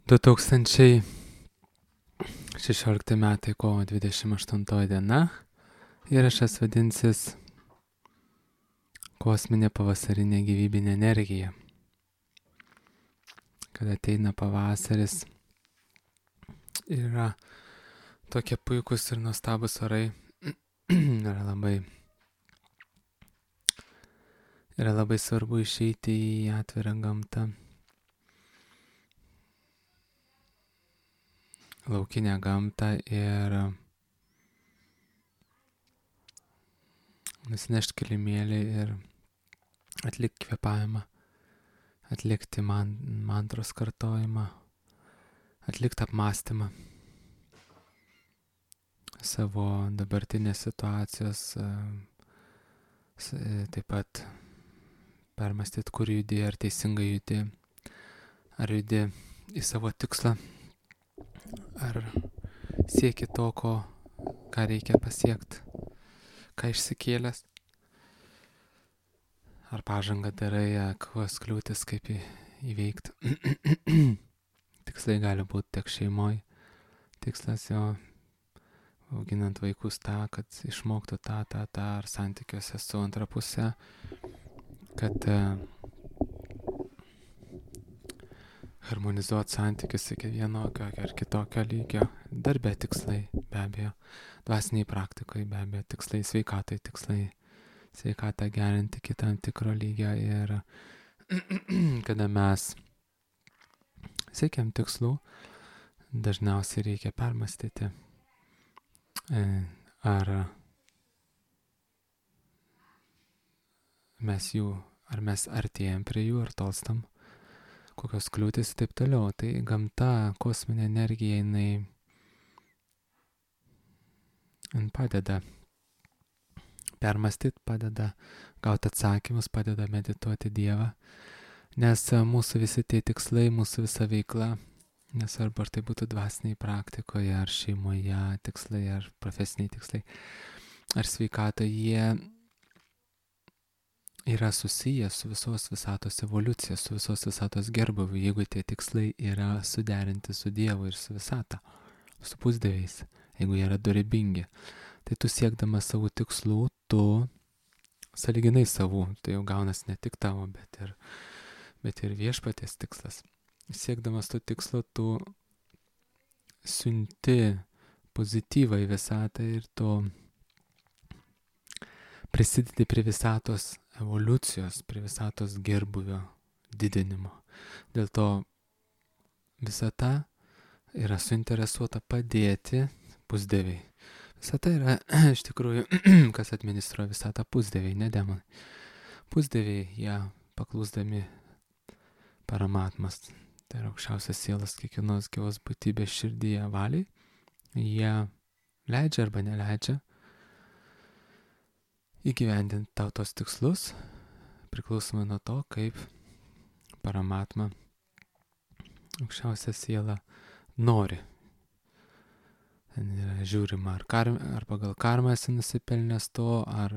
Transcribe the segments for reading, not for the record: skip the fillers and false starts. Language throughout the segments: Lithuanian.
2016 metai kovo 28 diena. Įrašas vadinsis Kosminė pavasarinė gyvybinė energija. Kada ateina pavasaris, yra tokie puikus ir nuostabus orai, yra labai svarbu išeiti į atvirą gamtą, laukinę gamtą ir nusinešti kilimėlį ir atlikti kvėpavimą, atlikti mantros kartojimą, atlikti apmąstymą savo dabartinės situacijos, taip pat permastyti, kur judi, ar teisingai judi, ar judi į savo tikslą, ar sieki to, ką reikia pasiekti, ką išsikėlęs, ar pažangą darai, kokios kliūtis, kaip įveikti. Tikslai gali būti tiek šeimoje, tikslas jo auginant vaikus tą, kad išmoktų tą, ar santykiuose su antra puse, kad harmonizuoti santykius iki vienokio ar kitokio lygio, darbe tikslai, be abejo, dvasiniai praktikoje, be abejo, tikslai sveikatai, tikslai sveikatą gerinti iki tam tikro lygio ir kada mes siekiam tikslų, dažniausiai reikia permastyti, ar mes artėjam prie jų, ar tolstam, kokios kliūtis ir taip toliau. Tai gamta, kosminė energija, jinai padeda permastyti, padeda gauti atsakymus, padeda medituoti Dievą, nes mūsų visi tie tikslai, mūsų visa veikla, nesvarbu ar tai būtų dvasiniai praktikoje, ar šeimoje tikslai, ar profesiniai tikslai, ar sveikata, jie yra susiję su visos visatos evoliucija, su visos visatos gerbuviu, jeigu tie tikslai yra suderinti su Dievu ir su visata, su pusdieviais, jeigu jie yra dorybingi. Tai tu siekdamas savo tikslų, tu sąlyginai savų, tai jau gaunas ne tik tavo, bet ir viešpaties tikslas. Siekdamas tų tikslų, tu siunti pozityvą į visatą ir tu prisidedi prie visatos evoliucijos, prie visatos gerbuvio didinimo. Dėl to visata yra suinteresuota padėti pusdieviai. Visata yra iš tikrųjų, kas administruoja visatą, pusdieviai, ne demonai. Pusdieviai, jie paklūsdami paramatmas, tai yra aukščiausias sielas kiekvienos gyvos būtybės širdyje valiai, jie leidžia arba neleidžia įgyvendinti tau tos tikslus, priklausomai nuo to, kaip paramatma, aukščiausia siela, nori. Ten yra žiūrima, ar pagal karmą esi nusipelnęs to, ar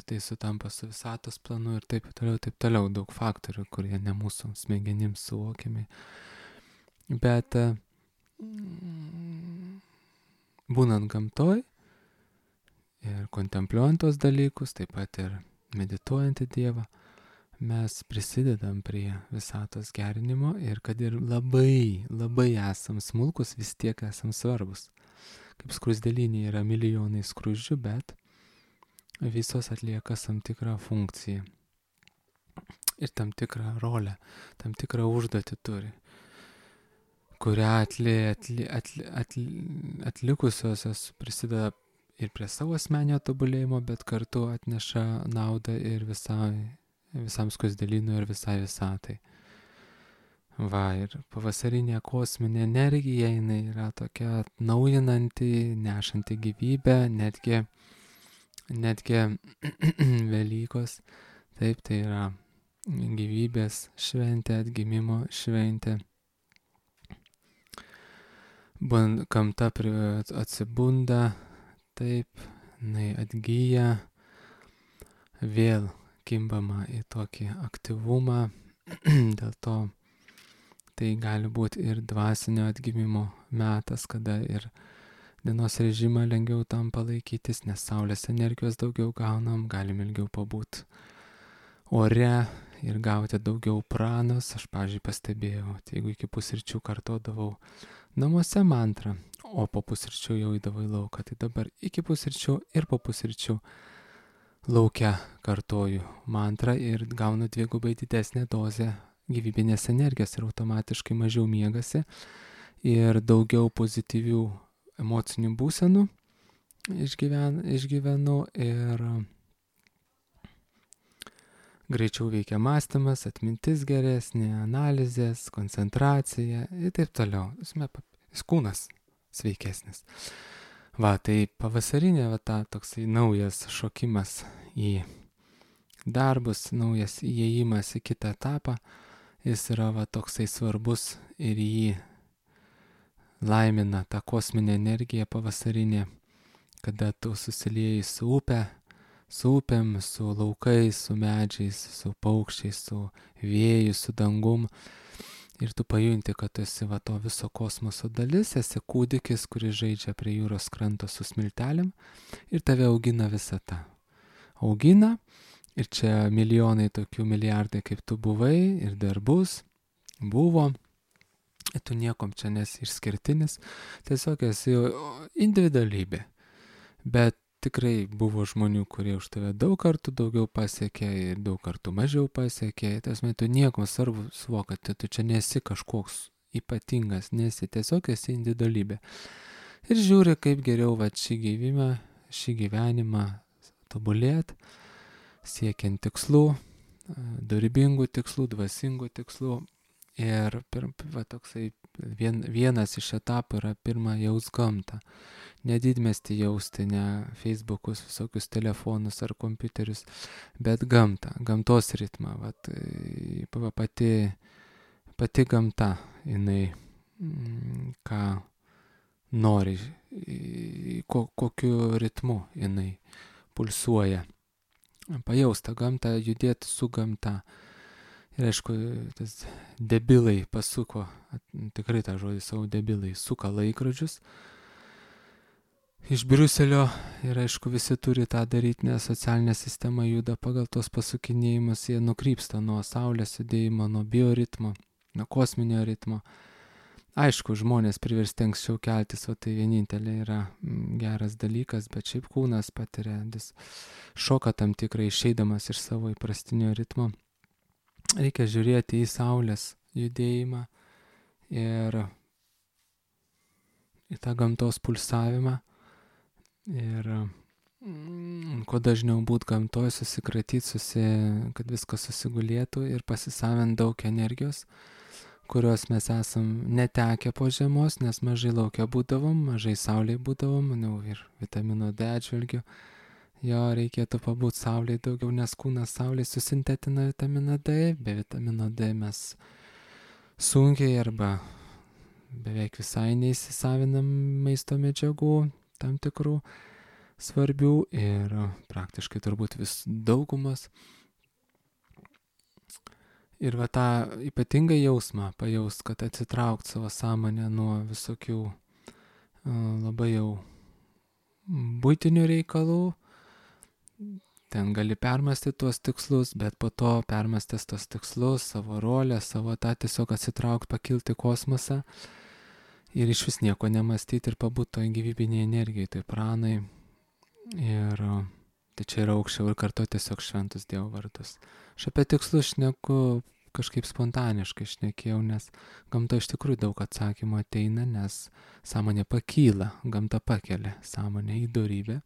tai sutampa su visatos planu ir taip toliau, daug faktorių, kurie ne mūsų smegenims suvokiami. Bet būnant gamtoj ir kontempliuojant tos dalykus, taip pat ir medituojant į Dievą, mes prisidedam prie visatos gerinimo ir kad ir labai, labai esam smulkus, vis tiek esam svarbus. Kaip skruzdėlynė yra milijonai skruzdžių, bet visos atlieka tam tikrą funkciją ir tam tikrą rolę, tam tikrą užduotį turi, kurią atlikusios prisideda ir prie savo asmeninio tobulėjimo, bet kartu atneša naudą ir visam skruzdėlynui ir visai visatai. Ir pavasarinė kosminė energija, jinai yra tokia atnaujinanti, nešanti gyvybę, netgi Velykos. Taip, tai yra gyvybės šventė, atgimimo šventė. Gamta atsibunda, taip, jinai atgyja, vėl kimbama į tokį aktyvumą, dėl to Tai gali būti ir dvasinio atgimimo metas, kada ir dienos režimą lengviau tam palaikytis, nes saulės energijos daugiau gaunam, galim ilgiau pabūti ore ir gauti daugiau pranos. Aš, pavyzdžiui, pastebėjau, jeigu iki pusryčių kartodavau namuose mantrą, o po pusryčių jau įdavau į lauką, tai dabar iki pusryčių ir po pusryčių lauke kartoju mantrą ir gaunu dvigubai didesnę dozę gyvybinės energijos ir automatiškai mažiau miegasi ir daugiau pozityvių emocinių būsenų išgyvenu ir greičiau veikia mąstymas, atmintis geresnė, analizės, koncentracija ir taip toliau. Kūnas sveikesnis. Va, tai pavasarinė toksai naujas šokimas į darbus, naujas įėjimas į kitą etapą, jis yra toksai svarbus ir jį laimina ta kosminė energija pavasarinė, kada tu susilieji su upė, su upėm, su laukais, su medžiais, su paukščiais, su vėju, su dangum. Ir tu pajunti, kad tu esi to viso kosmoso dalis, esi kūdikis, kuris žaidžia prie jūros kranto su smiltelėm ir tave augina visata. Augina ir čia milijonai tokių, milijardai kaip tu buvai ir dar buvo. Ir tu niekom čia nesi išskirtinis, tiesiog esi individualybė. Bet tikrai buvo žmonių, kurie už tave daug kartų daugiau pasiekė ir daug kartų mažiau pasiekė. Tiesiog tu niekom svarbu suvoki, kad tu čia nesi kažkoks ypatingas, nesi, tiesiog esi individualybė. Ir žiūri, kaip geriau šį gyvenimą tobulėti, siekiant tikslų, dorybingų tikslų, dvasingų tikslų. Ir toksai vienas iš etapų yra pirma jaust gamtą. Ne didmiestį jausti, ne Facebookus, visokius telefonus ar kompiuterius, bet gamtą, gamtos ritmą. Pati gamta, jinai ką nori, kokiu ritmu jinai pulsuoja. Pajausta gamtą, judėti su gamta. Ir aišku, tas debilai pasuko, tikrai tą žodį savo debilai, suka laikrodžius iš Briuselio ir aišku visi turi tą daryti, nes socialinė sistema juda pagal tos pasukinėjimus, jie nukrypsta nuo saulės judėjimo, nuo bioritmo, nuo kosminio ritmo. Aišku, žmonės priversti anksčiau keltis, o tai vienintelė yra geras dalykas, bet šiaip kūnas patiria šoką tam tikrą išeidamas iš savo įprastinio ritmo. Reikia žiūrėti į saulės judėjimą ir į tą gamtos pulsavimą ir kuo dažniau būt gamtoj, susikratyti, kad viskas susigulėtų ir pasisavint daug energijos, kurios mes esam netekę po žiemos, nes mažai laukia būdavom, mažai saulėje būdavom, ir vitamino D atžvilgiu. Jo reikėtų pabūti saulėje daugiau, nes kūnas saulėje susintetina vitaminą D, be vitamino D mes sunkiai arba beveik visai neįsisavinam maisto medžiagų tam tikrų svarbių ir praktiškai turbūt vis daugumas. Ir tą ypatingą jausmą pajaust, kad atsitraukt savo sąmonę nuo visokių labai jau buitinių reikalų. Ten gali permastyti tuos tikslus, bet po to permastęs tuos tikslus, savo rolę, savo tą tiesiog atsitraukt, pakilti į kosmosą ir iš vis nieko nemastyti ir pabūt toj gyvybinėje energijoje, toj pranai. Ir tai čia yra aukščiau ir kartu tiesiog šventus Dievo vardus. Aš apie tikslus šneku kažkaip spontaniškai šnekėjau, nes gamta iš tikrųjų daug atsakymų ateina, nes sąmonė pakyla, gamta pakelia sąmonę į dorybę.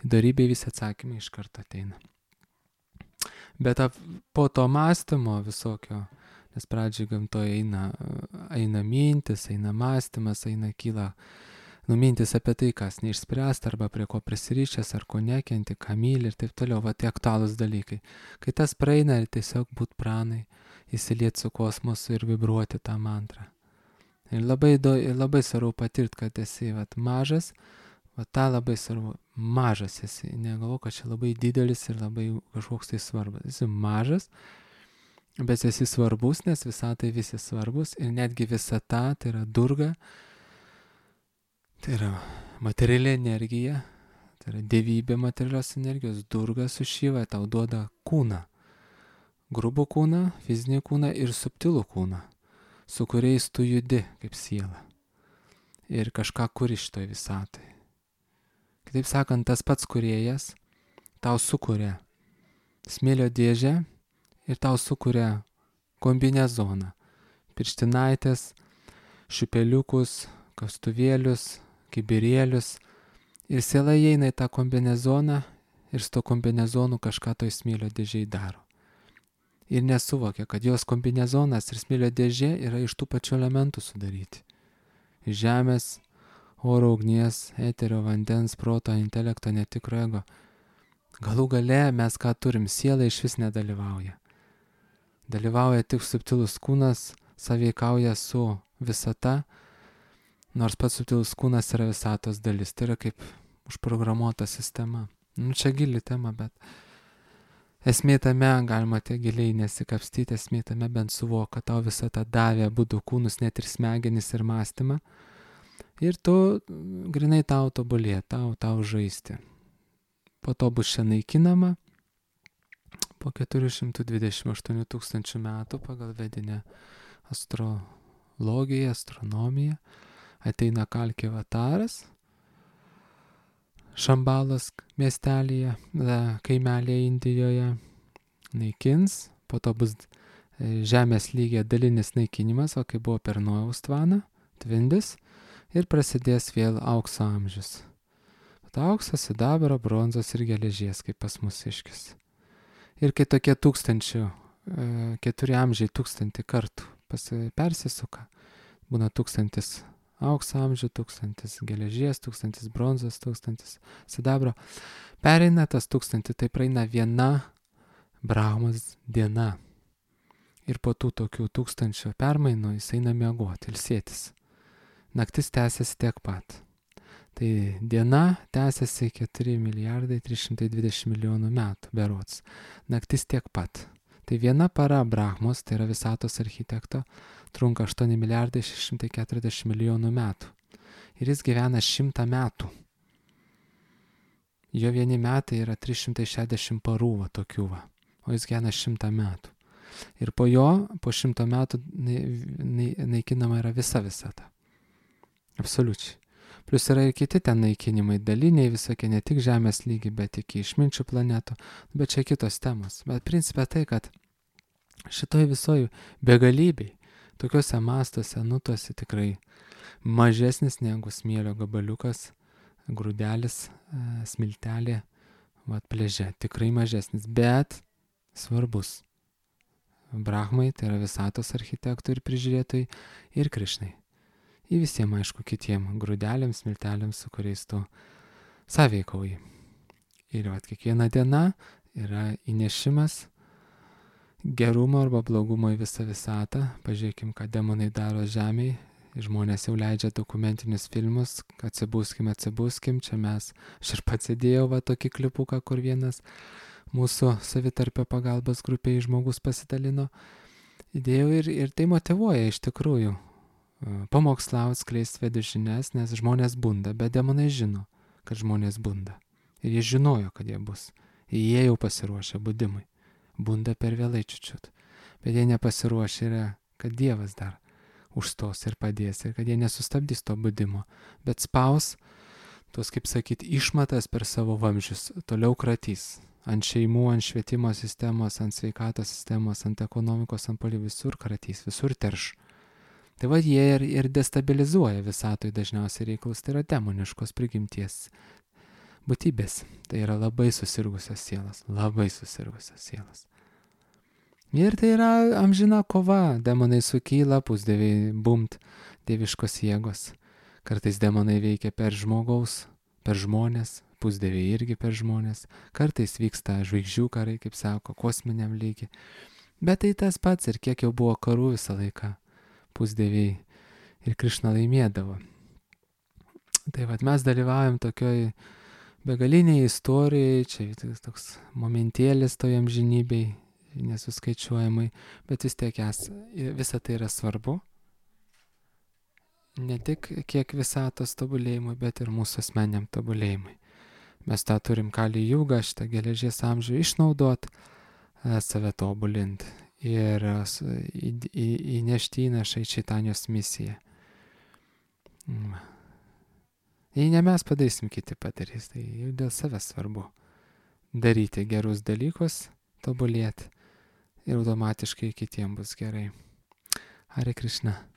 Į dorybę visi atsakymai iš karto ateina. Bet po to mąstymo visokio, nes pradžiai gamtoje eina mintis, eina mąstymas, kyla mintis apie tai, kas neišspręsta, arba prie ko prisirišęs, ar ko nekenti, ką myli ir taip toliau, tai aktualūs dalykai. Kai tas praeina, tiesiog būt pranai, įsilieti su kosmosu ir vibruoti tą mantrą. Ir labai svarbu patirti, kad esi mažas, tą labai svarbu, mažas esi, negalvo, kad čia labai didelis ir labai kažkoks tai svarbus. Esi mažas bet esi svarbus, nes visatai visi svarbus ir netgi visata, tai yra Durga, tai yra materiali energija, tai yra dievybė materialios energijos. Durga su Šiva tau duoda kūną, grubų kūną, fizinį kūną ir subtilų kūną, su kuriais tu judi kaip siela ir kažką kuri šitoj visatai. Kitaip sakant, tas pats kūrėjas tau sukuria smėlio dėžę ir tau sukuria kombinezoną, pirštinaitės, šipeliukus, kastuvėlius, kibirėlius ir siela įeina į tą kombinezoną ir su to kombinezonu kažką toj smėlio dėžėj daro. Ir nesuvokia, kad jos kombinezonas ir smėlio dėžė yra iš tų pačių elementų sudaryti. Iš žemės, oro, ugnies, eterio, vandens, proto, intelekto, netikro ego. Galų gale mes ką turim, siela iš vis nedalyvauja. Dalyvauja tik subtilus kūnas, sąveikauja su visata, nors pats subtilus kūnas yra visatos dalis. Tai yra kaip užprogramuota sistema. Čia gili tema, bet esmė tame, galima tiek giliai nesikapstyti, esmė tame bent suvok, kad tau visata davė abudu kūnus, net ir smegenis ir mąstymą. Ir tu grinai tau tobulė, tau žaisti. Po to bus čia naikinama. Po 428 000 metų pagal vedinę astrologiją, astronomiją ateina Kalki Avataras, Šambalos miestelėje, kaimelėje Indijoje, naikins, po to bus žemės lygyje dalinis naikinimas, o kai buvo per Nojaus tvaną, tvindis, ir prasidės vėl aukso amžius. Auksas, sidabro, bronzos ir geležies, kaip pas mūsiškis. Ir kai tokie 4 amžiai 1000 kartų persisuka, būna 1000 aukso amžių, 1000 geležies, 1000 bronzos, 1000 sidabro, pereina tas 1000, tai praeina viena Brahmos diena. Ir po tų tokių 1000 permainų jis eina miegoti, ilsėtis. Naktis tęsiasi tiek pat. Tai diena tęsiasi 4 milijardai 320 milijonų metų, berods. Naktis tiek pat. Tai viena para Brahmos, tai yra visatos architekto, trunka 8 milijardai 640 milijonų metų. Ir jis gyvena 100 metų. Jo vieni metai yra 360 parų, tokių, o jis gyvena 100 metų. Ir po jo, po 100 metų naikinama yra visa visata. Absoliučiai. Plius yra ir kiti ten naikinimai, daliniai visokie, ne tik žemės lygi, bet iki išminčių planetų, bet čia kitos temos. Bet principė tai, kad šitoj visoj begalybei, tokiuose mastuose, nutuose tikrai mažesnis negu smėlio gabaliukas, grūdelis, smiltelė, pleže, tikrai mažesnis, bet svarbus. Brahmai, tai yra visatos architektų ir prižiūrėtojai, ir Krišnai. Į visiems, aišku, kitiem grūdeliams, smiltelėms, su kuriais tu sąveikauji. Ir kiekviena diena yra įnešimas gerumo arba blogumo į visą visatą. Pažiūrėkim, ką demonai daro žemėje. Žmonės jau leidžia dokumentinius filmus, atsibuskim, čia mes, aš ir pats įdėjau tokį klipuką, kur vienas mūsų savitarpio pagalbos grupėje žmogus pasidalino. Įdėjau ir tai motyvuoja iš tikrųjų. Pamokslauti, skleisti vedų žinias, nes žmonės bunda, bet demonai žino, kad žmonės bunda. Ir jie žinojo, kad jie bus. Jie jau pasiruošę budimui. Bunda per vėlai čiučiut. Bet jie nepasiruošę yra, kad Dievas dar užstos ir padės, ir kad jie nesustabdys to budimo, bet spaus tuos, kaip sakyti, išmatas per savo vamzdžius, toliau kratys. Ant šeimų, ant švietimo sistemos, ant sveikatos sistemos, ant ekonomikos, ant poli, visur kratys, visur terš. Tai jie ir destabilizuoja visatoj dažniausiai reikalus, tai yra demoniškos prigimties būtybės. Tai yra labai susirgusios sielas, labai susirgusios sielas. Ir tai yra amžina kova, demonai sukyla, pusdieviai bumt, dieviškos jėgos. Kartais demonai veikia per žmonės, pusdieviai irgi per žmonės, kartais vyksta žvaigždžių karai, kaip sako, kosminiam lygiai. Bet tai tas pats ir kiek jau buvo karų visą laiką. Pusdieviai ir Krišna laimėdavo. Tai mes dalyvaujam tokioj begaliniai istorijai, čia toks momentėlis toj amžinybei, nesuskaičiuojamai, bet vis tiek visa tai yra svarbu. Ne tik kiek visatos tobulėjimui, bet ir mūsų asmeniam tobulėjimui. Mes tą turim kali jūgą, šitą geležies amžių išnaudot, save tobulint ir įnešti įnašą į Čaitanijos misiją. Jei ne mes padarysim, kiti padarys, tai jau dėl savęs svarbu daryti gerus dalykus, tobulėti ir automatiškai kitiems bus gerai. Hare Krishna.